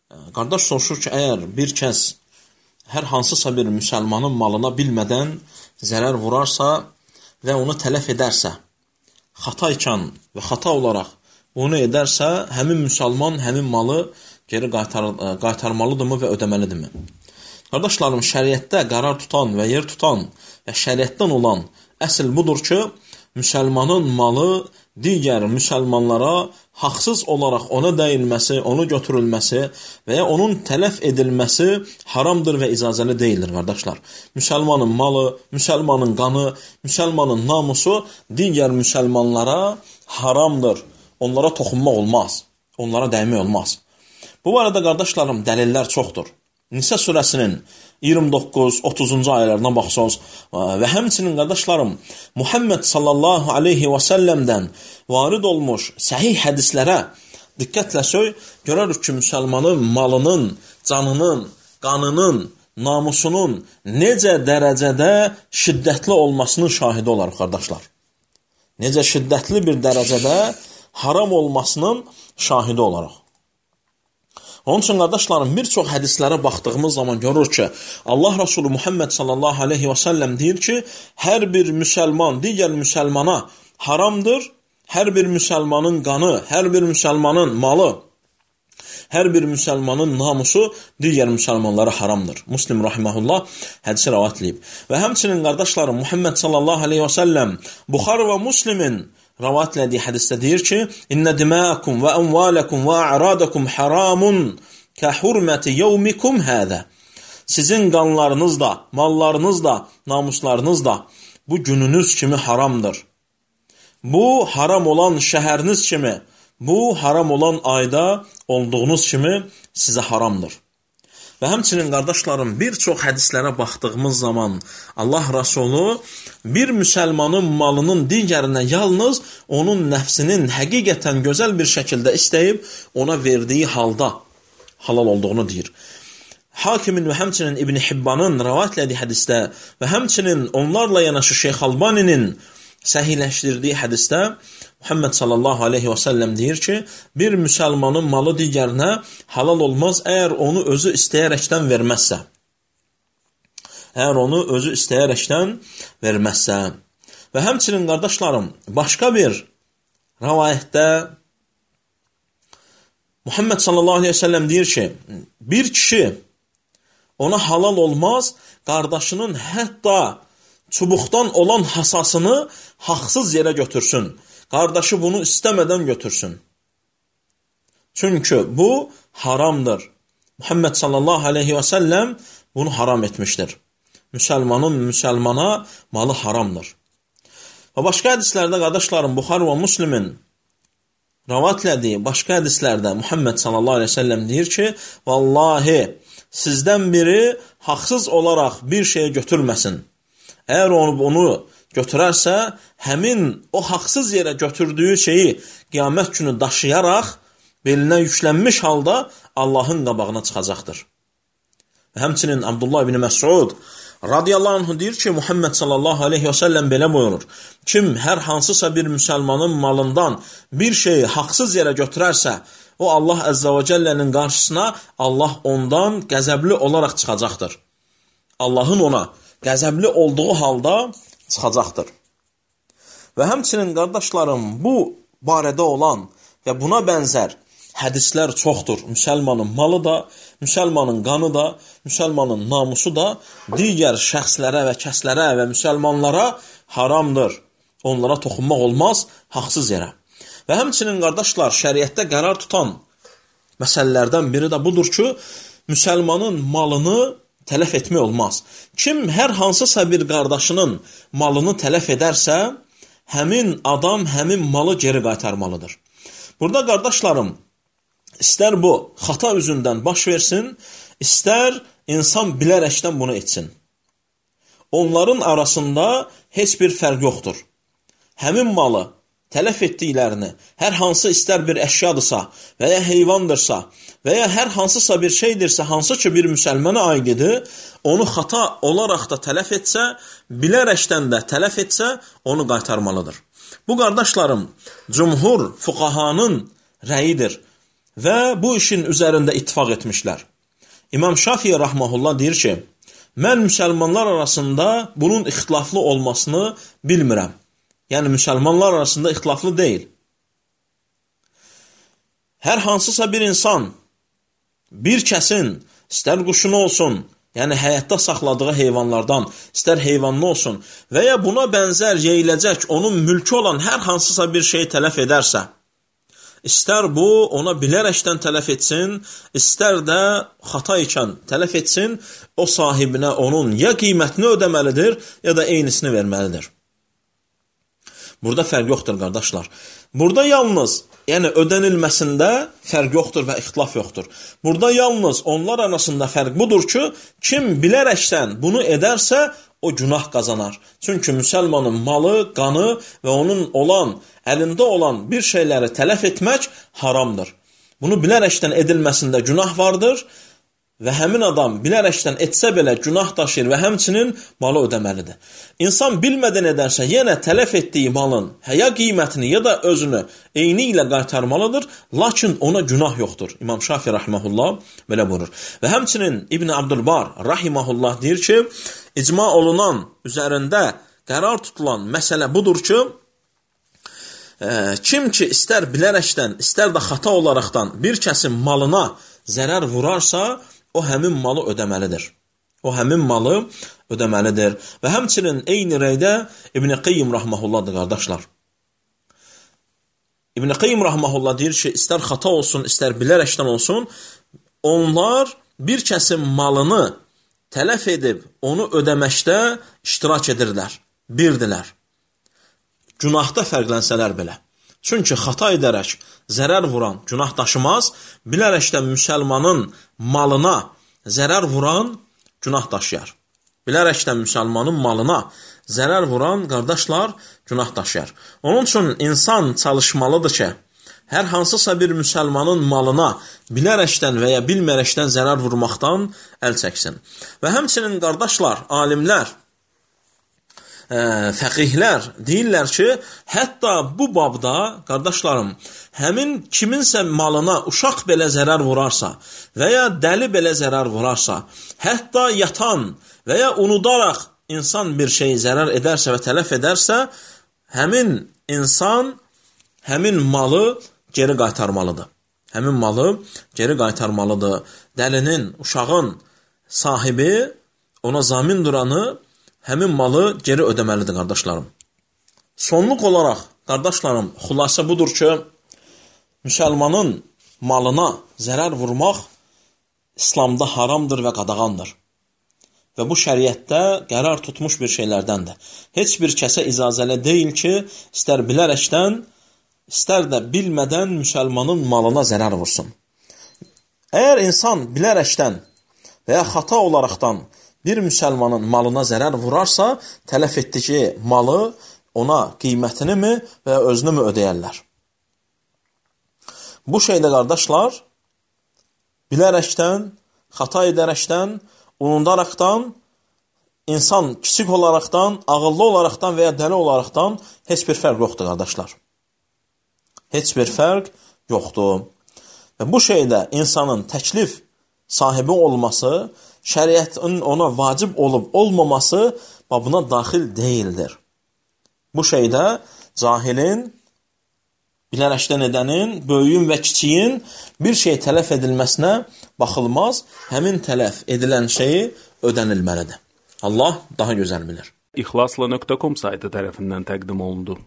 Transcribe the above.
Qardaş soruşur ki, əgər bir kəs hər hansısa bir müsəlmanın malına bilmədən zərər vurarsa və onu tələf edərsə, xata ikən və xata olaraq onu edərsə, həmin müsəlman həmin malı geri qaytarmalıdırmı və ödəməlidirmi? Qardaşlarım, şəriətdə qərar tutan və yer tutan və şəriətdən olan əsl budur ki, müsəlmanın malı digər müsəlmanlara haqsız olaraq ona dəyilməsi, onu götürülməsi və ya onun tələf edilməsi haramdır və icazəli deyildir, qardaşlar. Müsəlmanın malı, müsəlmanın qanı, müsəlmanın namusu digər müsəlmanlara haramdır. Onlara toxunmaq olmaz, onlara dəymək olmaz. Bu barədə, qardaşlarım, dəlillər çoxdur. Nisa surəsinin 29-30-cu ayələrine baxsınız və həmçinin, qardaşlarım, Muhammed sallallahu aleyhi və səlləmdən varid olmuş səhih hədislərə diqqətlə görərük ki, müsəlmanın malının, canının, qanının, namusunun necə dərəcədə şiddətli olmasının şahidi olarıq, qardaşlar. Necə şiddətli bir dərəcədə haram olmasının şahidi olaraq. Onun üçün, qardaşlarım, bir çox hədislərə baxdığımız zaman görür ki, Allah Resulü Muhammed sallallahu aleyhi və səlləm deyir ki, hər bir müsəlman digər müsəlmana haramdır, hər bir müsəlmanın qanı, hər bir müsəlmanın malı, hər bir müsəlmanın namusu digər müsəlmanlara haramdır. Müslim rahiməhullah hədisi rəvat edib. Və həmçinin, qardaşlarım, Muhammed sallallahu aleyhi və səlləm Buxari və Müslimin rəvat etdiyi hədisdə deyir ki, İnnə dimākum və əmvələkum və a'radakum haramun kə hurməti yevmikum hədə. Sizin qanlarınız da, mallarınız da, namuslarınız da bu gününüz kimi haramdır. Bu haram olan şəhəriniz kimi, bu haram olan ayda olduğunuz kimi sizə haramdır. Və həmçinin, qardaşlarım, bir çox hədislərə baxdığımız zaman Allah Rasulü bir müsəlmanın malının digərinə yalnız onun nəfsinin həqiqətən gözəl bir şəkildə istəyib ona verdiyi halda halal olduğunu deyir. Hakimin və həmçinin İbn Hibbanın rəvat etdiyi hədisdə və həmçinin onlarla yanaşı Şeyx Albaninin səhihləşdirdiyi hədisdə Muhammed sallallahu aleyhi və səlləm deyir ki, bir müsəlmanın malı digərinə halal olmaz, əgər onu özü istəyərəkdən verməzsə. Əgər onu özü istəyərəkdən verməzsə. Və həmçinin, qardaşlarım, başqa bir rəvayətdə Muhammed sallallahu aleyhi və səlləm deyir ki, bir kişi ona halal olmaz, qardaşının hətta çubuqdan olan hasasını haqsız yerə götürsün. Qardaşı bunu istəmədən götürsün. Çünki bu haramdır. Muhammed sallallahu aleyhi və səlləm bunu haram etmişdir. Müsəlmanın müsəlmana malı haramdır. Və başqa hədislərdə, qardaşlarım, Buxari və Müslimin rəvat etdiyi başqa hədislərdə Muhammed sallallahu aleyhi və səlləm deyir ki, vallahi sizdən biri haqsız olaraq bir şeyi götürməsin. Əgər onu götürərsə, həmin o haqsız yerə götürdüyü şeyi qiyamət günü daşıyaraq, belinə yüklənmiş halda Allahın qabağına çıxacaqdır. Və həmçinin Abdullah ibn Məsud radiyallahu anh deyir ki, Muhammed sallallahu aleyhi və səlləm belə buyurur. Kim hər hansısa bir müsəlmanın malından bir şeyi haqsız yerə götürərsə, o Allah əzzə və cəllənin qarşısına Allah ondan qəzəbli olaraq çıxacaqdır. Allahın ona qəzəbli olduğu halda çıxacaqdır. Və həmçinin, qardaşlarım, bu barədə olan və buna bənzər hədislər çoxdur. Müsəlmanın malı da, müsəlmanın qanı da, müsəlmanın namusu da digər şəxslərə və kəslərə və müsəlmanlara haramdır. Onlara toxunmaq olmaz haqsız yerə. Və həmçinin, qardaşlar, şəriətdə qərar tutan məsələlərdən biri də budur ki, müsəlmanın malını tələf etmək olmaz. Kim hər hansısa bir qardaşının malını tələf edərsə, həmin adam həmin malı geri qaytarmalıdır. Burada, qardaşlarım, istər bu xata üzündən baş versin, istər insan bilərəkdən bunu etsin. Onların arasında heç bir fərq yoxdur. Həmin malı tələf etdiklərini, hər hansı istər bir əşyadırsa və ya heyvandırsa və ya hər hansısa bir şeydirsə, hansı ki bir müsəlmana aididir, onu xata olaraq da tələf etsə, bilərəkdən də tələf etsə, onu qaytarmalıdır. Bu, qardaşlarım, cümhur fuqahanın rəyidir və bu işin üzərində ittifaq etmişlər. İmam Şafii rahmehullah deyir ki, mən müsəlmanlar arasında bunun ixtilaflı olmasını bilmirəm. Yəni, müsəlmanlar arasında ixtilaflı deyil. Hər hansısa bir insan, bir kəsin, istər quşunu olsun, yəni həyatda saxladığı heyvanlardan, istər heyvanlı olsun və ya buna bənzər yeyiləcək, onun mülkü olan hər hansısa bir şey tələf edərsə, istər bu ona bilərəkdən tələf etsin, istər də xata ikən tələf etsin, o sahibinə onun ya qiymətini ödəməlidir, ya da eynisini verməlidir. Burada fərq yoxdur, qardaşlar. Burada yalnız, yəni ödənilməsində fərq yoxdur və ixtilaf yoxdur. Burada yalnız onlar arasında fərq budur ki, kim bilərəkdən bunu edərsə, o günah qazanar. Çünki müsəlmanın malı, qanı və onun əlində olan bir şeyləri tələf etmək haramdır. Bunu bilərəkdən edilməsində günah vardır və həmin adam bilərəkdən etsə belə günah daşıyır və həmçinin malı ödəməlidir. İnsan bilmədən edərsə, yenə tələf etdiyi malın ya qiymətini ya da özünü eyni ilə qaytarmalıdır, lakin ona günah yoxdur. İmam Şafii rahmehullah belə buyurur. Və həmçinin İbn Abdülbar rahimehullah deyir ki, icma olunan, üzərində qərar tutulan məsələ budur ki, kim ki istər bilərəkdən, istər də xata olaraqdan bir kəsin malına zərər vurarsa, o həmin malı ödəməlidir. O həmin malı ödəməlidir. Və həmçinin eyni rəydə İbn Qayyim rahmehullahdır, qardaşlar. İbn Qayyim rahmehullah deyir ki, istər xata olsun, istər bilərəkdən olsun, onlar bir kəsin malını tələf edib onu ödəməkdə iştirak edirlər, birdilər. Günahda fərqlənsələr belə. Çünki xata edərək zərər vuran günah daşımaz, bilərəkdən müsəlmanın malına zərər vuran günah daşıyar. Bilərəkdən müsəlmanın malına zərər vuran qardaşlar günah daşıyar. Onun üçün insan çalışmalıdır ki, hər hansısa bir müsəlmanın malına bilərəkdən və ya bilmərəkdən zərər vurmaqdan əl çəksin. Və həmçinin qardaşlar, alimlər, fəqihlər deyirlər ki, hətta bu babda, qardaşlarım, həmin kiminsə malına uşaq belə zərər vurarsa və ya dəli belə zərər vurarsa, hətta yatan və ya unudaraq insan bir şeyi zərər edərsə və tələf edərsə, həmin insan həmin malı geri qaytarmalıdır. Həmin malı geri qaytarmalıdır. Dəlinin, uşağın sahibi, ona zamin duranı həmin malı geri ödəməlidir, qardaşlarım. Sonluq olaraq, qardaşlarım, xülasə budur ki, müsəlmanın malına zərər vurmaq İslamda haramdır və qadağandır. Və bu şəriətdə qərar tutmuş bir şeylərdəndir. Heç bir kəsə icazəli deyil ki, istər bilərəkdən, istər də bilmədən müsəlmanın malına zərər vursun. Əgər insan bilərəkdən və ya xata olaraqdan bir müsəlmanın malına zərər vurarsa, tələf etdiyi malı ona qiymətini mi və ya özünü mü ödəyərlər? Bu şeydə, qardaşlar, bilərəkdən, xata edərəkdən, unudaraqdan, insan kiçik olaraqdan, ağıllı olaraqdan və ya dəli olaraqdan heç bir fərq yoxdur, qardaşlar. Heç bir fərq yoxdur. Və bu şeydə insanın təklif sahibi olması, şəriətin ona vacib olub olmaması babına daxil deyildir. Bu şeydə cahilin, bilərəkdən edənin, böyüyün və kiçiyin bir şey tələf edilməsinə baxılmaz, həmin tələf edilən şeyi ödənilməlidir. Allah daha gözəl bilir. İxlasla.com saytı tərəfindən təqdim olundu.